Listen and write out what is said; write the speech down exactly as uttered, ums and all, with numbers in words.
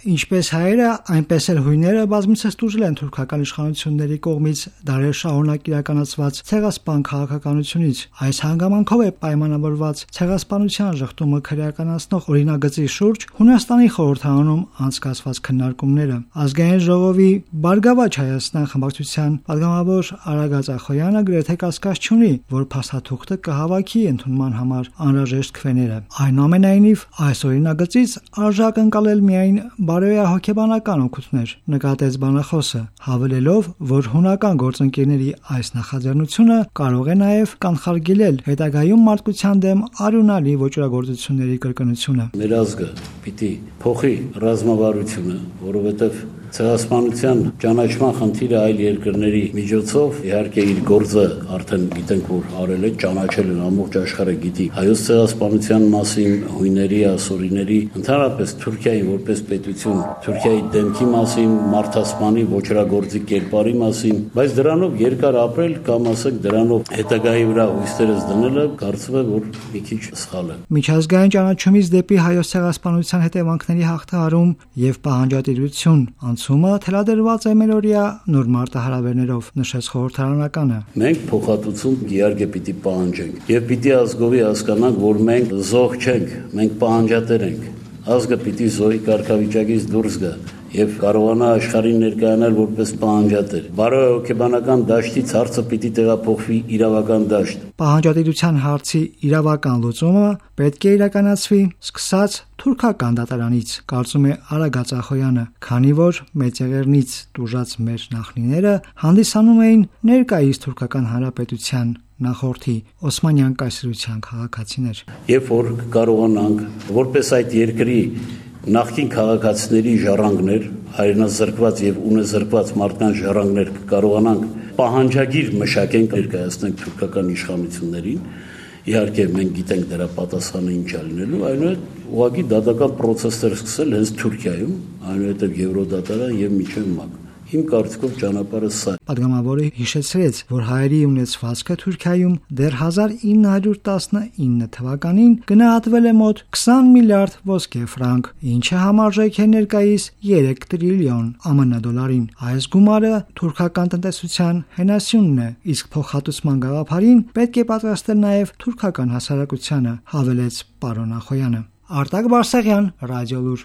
Ինչպես հայերը, այնպես էլ հույները բազմիցս տուժել են թուրքական իշխանությունների կողմից դարեր շարունակ իրականացված ցեղասպան քաղաքականությունից։ Այս հանգամանքով է պայմանավորված ցեղասպանության ժխտումը քրեականացնող օրինագծի շուրջ Հունաստանի խորհրդարանում անցկացված քննարկումները։ Ազգային ժողովի Բարգավաճ Հայաստան խմբակցության պատգամավոր Արագած Ախոյանը գրեթե կասկած չունի, որ փաստաթուղթը կհավաքի ընդունման համար անհրաժեշտ քվեները։ Այնուամենայնիվ, այս օրինագծից արժակ ընկալել միայն բարոյահոգեբանական օգուտներ, նկատեց բանախոսը, հավելելով, որ հունական գործընկերների այս նախաձեռնությունը կարող է նաև կանխարգելել հետագայում մարդկության դեմ արյունալի ոճրագործությունների կրկնությունը։ Մեր ազգը պիտի փոխի ռազմավարությունը, որովհետև ցեղասպանության ճանաչման խնդիրը այլ երկրների միջոցով իհարկե իր գործը արդեն գիտենք, որ արել է, ճանաչել են, ամբողջ աշխարհը գիտի հայոց ցեղասպանության մասին, հույների, ասորիների, ընդհանրապես Թուրքիայի որպես պետություն, Թուրքիայի դեմքի մասին, մարդասպանի ոճրագործի կերպարի մասին, բայց դրանով երկար ապրել կամ ասենք դրանով հետագայի վրա հույսերս դնելը կարծում եմ, որ մի քիչ սխալ է։ Միջազգային ճանաչումից դեպի հայոց ցեղասպանության հետևանքների հաղթահարում եւ պահանջատիրություն անցումը թելադրված է մերօրյա նոր մարտահրավերներով, նշեց խորհրդարանականը։ Մենք փոխհատուցում իհարկե պիտի պահանջենք եւ պիտի ազգովի հասկանանք, որ մենք զոհ չենք, մենք պահանջատեր ենք։ Ազգը պիտի զոհի կարգավիճակից դուրս գա եւ կարողանա աշխարհին ներկայանալ որպես պահանջատեր։ Բարոյահոգեբանական դաշտից հարցը պիտի տեղափոխվի իրավական դաշտ։ Պահանջատիրության հարցի իրավական լուծումը պետք է իրականացվի սկսած թուրքական դատարանից, կարծում է Արագած Ախոյանը, քանի որ մեծեղեռնից տուժած մեր նախնիները հանդիսանում էին ներկայիս թուրքական հանրապետության նախորդի Օսմանյան կայսրության քաղաքացիներ։ Երբ որ կարողանանք որպես այդ երկրի նախկին քաղաքացիների ժառանգներ, հայրենազրկված եւ ունեզրկված մարդկանց ժառանգներ կարողանանք պահանջագիր մշակենք ներկայացնենք թուրքական իշխանություններին, իհարկե մենք գիտենք դրա պատասխանը ինչ է լինելու, այնուհետ ուղղակի դատական պրոցեսներ սկսել հենց Թուրքիայում, այնուհետև Եվրոդատարան եւ միջև ՄԱԿ։ Իմ կարծիքով ճանապարհը սա է։ Պատգամավորը հիշեցրեց, որ հայերի ունեցվածքը Թուրքիայում դեռ հազար ինը հարյուր տասնինը թվականին գնահատվել է մոտ քսան միլիարդ ոսկե ֆրանկ, ինչը համարժեք է ներկայիս երեք տրիլիոն ԱՄՆ դոլարին։ Այս գումարը թուրքական տնտեսության հենասյունն է, իսկ փոխհատուցման գաղափարին պետք է պատրաստել նաև թուրքական հասարակությանը, հավելեց պարոն Ախոյանը։ Արտակ Բարսեղյան, Ռադիոլուր։